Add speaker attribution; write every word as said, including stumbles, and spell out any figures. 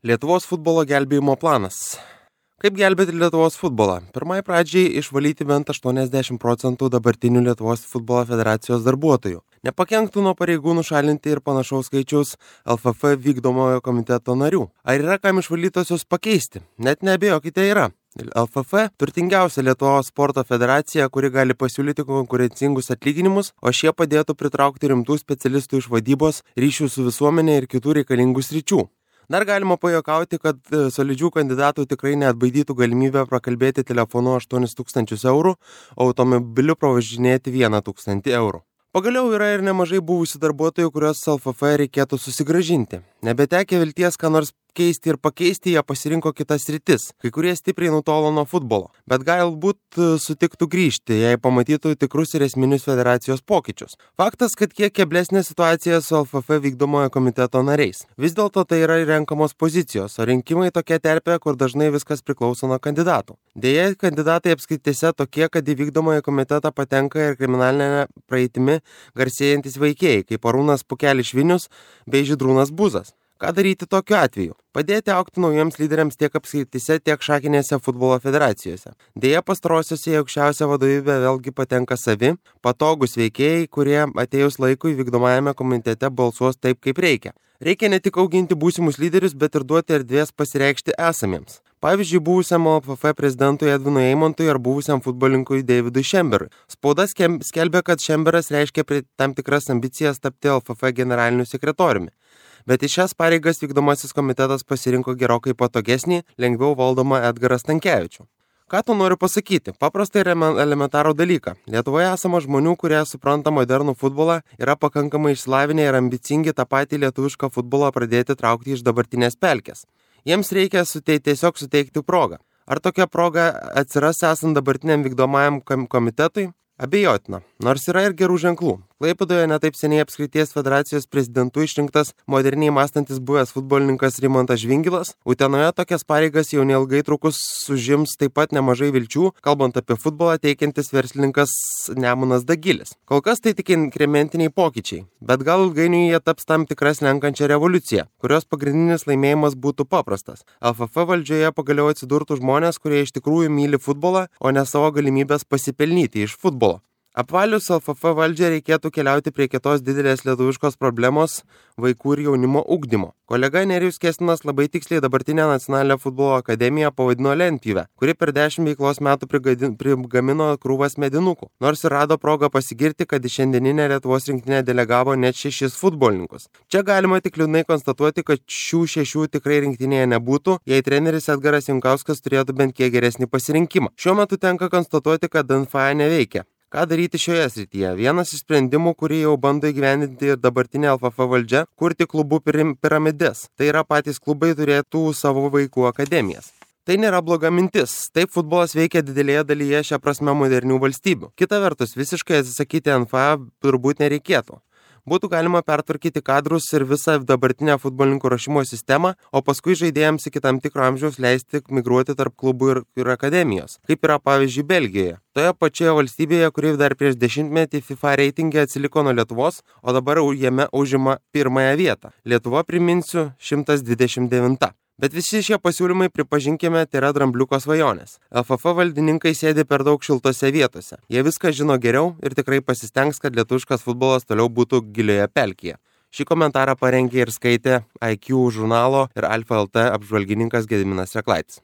Speaker 1: Lietuvos futbolo gelbėjimo planas. Kaip gelbėti Lietuvos futbolą? Pirmai pradžiai išvalyti bent aštuoniasdešimt procentų dabartinių Lietuvos futbolo federacijos darbuotojų. Nepakenktų nuo pareigų nušalinti ir panašaus skaičiaus L F F vykdomojo komiteto narių. Ar yra kam išvalytosius pakeisti? Net neabejokite, yra. L F F turtingiausia Lietuvos sporto federacija, kuri gali pasiūlyti konkurencingus atlyginimus, o šie padėtų pritraukti rimtų specialistų iš vadybos, ryšių su visuomenė ir kitų reikalingų sričių. Dar galima pajuokauti, kad solidžių kandidatų tikrai neatbaidytų galimybę prakalbėti telefonu aštuonis tūkstančius eurų, o automobiliu pravažinėti vieną tūkstantį eurų. Pagaliau yra ir nemažai buvusių darbuotojų, kuriuos L F F reikėtų susigrąžinti. Nebetekę vilties, ką nors keisti ir pakeisti, jie pasirinko kitas sritis. Kai kurie stipriai nutolo nuo futbolo, bet galbūt sutiktų grįžti, jei pamatytų tikrus ir esminius federacijos pokyčius. Faktas, kad kiek keblesnė situacija su L F F vykdomojo komiteto nariais. Vis dėlto tai yra renkamos pozicijos, o rinkimai tokia terpė, kur dažnai viskas priklauso nuo kandidatų. Deja, kandidatai apskritėse tokie, kad į vykdomąjį komitetą patenka ir kriminalinė praeitimi garsėjantis veikėjai, kaip Arūnas Pukelis Švinius bei Žydrūnas Buzas. Ką daryti tokiu atveju? Padėti augti naujiems lyderiams tiek apskrityse, tiek šakinėse futbolo federacijose. Deja, pastarosiuose į aukščiausią vadovybę vėlgi patenka savi, patogus veikėjai, kurie atėjus laikui vykdomajame komitete balsuos taip, kaip reikia. Reikia ne tik auginti būsimus lyderius, bet ir duoti erdvės pasireikšti esamiems. Pavyzdžiui, buvusiam L F F prezidentui Edvinui Eimontui ar buvusiam futbolininkui Davidui Šemberui. Spauda skelbia, kad Šemberas reiškia tam tikras ambicijas tapti L F F generaliniu sekretoriumi. Bet į šias pareigas vykdomasis komitetas pasirinko gerokai patogesnį, lengviau valdomą Edgarą Stankevičių. Ką tu noriu pasakyti? Paprastai elementarų dalyką. Lietuvoje esama žmonių, kurie supranta modernų futbolą, yra pakankamai išsilavinę ir ambicingi tą patį lietuvišką futbolą pradėti traukti iš dabartinės pelkės. Jiems reikia suteikti, tiesiog suteikti progą. Ar tokia proga atsiras esant dabartiniam vykdomajam komitetui? Abejotina, nors yra ir gerų ženklų. Klaipėdoje netaip seniai apskrities federacijos prezidentu išrinktas moderniai mąstantis buvęs futbolininkas Rimantas Žvingilas. Utenoje tokias pareigas jau neilgai trukus užims taip pat nemažai vilčių, kalbant apie futbolą, teikiantis verslininkas Nemunas Dagilis. Kol kas tai tik inkrementiniai pokyčiai, bet gal ilgainiui jie taps tam tikras lenkančią revoliuciją, kurios pagrindinis laimėjimas būtų paprastas. L F F valdžioje pagaliau atsidurtų žmonės, kurie iš tikrųjų myli futbolą, o ne savo galimybės pasipelnyti iš futbolo. Apvalius L F F valdžią reikėtų keliauti prie kitos didelės lietuviškos problemos – vaikų ir jaunimo ugdymo. Kolega Nerijus Kestinas labai tiksliai dabartinę Nacionalinę futbolo akademiją pavadino lentpjūve, kuri per dešimt veiklos metų prigamino krūvas medinukų. Nors ir rado progą pasigirti, kad į šiandieninę Lietuvos rinktinę delegavo net šešis futbolininkus. Čia galima tik liūdnai konstatuoti, kad šių šešių tikrai rinktinėje nebūtų, jei treneris Edgaras Jankauskas turėtų bent kiek geresnį pasirinkimą. Šiuo metu tenka konstatuoti, kad N F A neveikia. Ką daryti šioje srityje? Vienas iš sprendimų, kurį jau bando įgyvendinti ir dabartinė L F F valdžia, kurti klubų piramides. Tai yra, patys klubai turėtų savo vaikų akademijas. Tai nėra bloga mintis. Taip futbolas veikia didelėje dalyje šią prasme modernių valstybių. Kita vertus, visiškai atsisakyti N F A turbūt nereikėtų. Būtų galima pertvarkyti kadrus ir visą dabartinę futbolininkų ruošimo sistemą, o paskui žaidėjams iki tam tikro amžiaus leisti migruoti tarp klubų ir, ir akademijos, kaip yra pavyzdžiui Belgijoje. Toje pačioje valstybėje, kuri dar prieš dešimtmetį FIFA reitinge atsiliko nuo Lietuvos, o dabar jame užima pirmąją vietą. Lietuva, priminsiu, šimtas dvidešimt devinta. Bet visi šie pasiūlymai, pripažinkime, tai yra drambliuko svajonės. L F F valdininkai sėdi per daug šiltose vietose. Jie viską žino geriau ir tikrai pasistengs, kad lietuviškas futbolas toliau būtų gilioje pelkėje. Šį komentarą parengė ir skaitė I Q žurnalo ir Alfa L T apžvalgininkas Gediminas Reklaitis.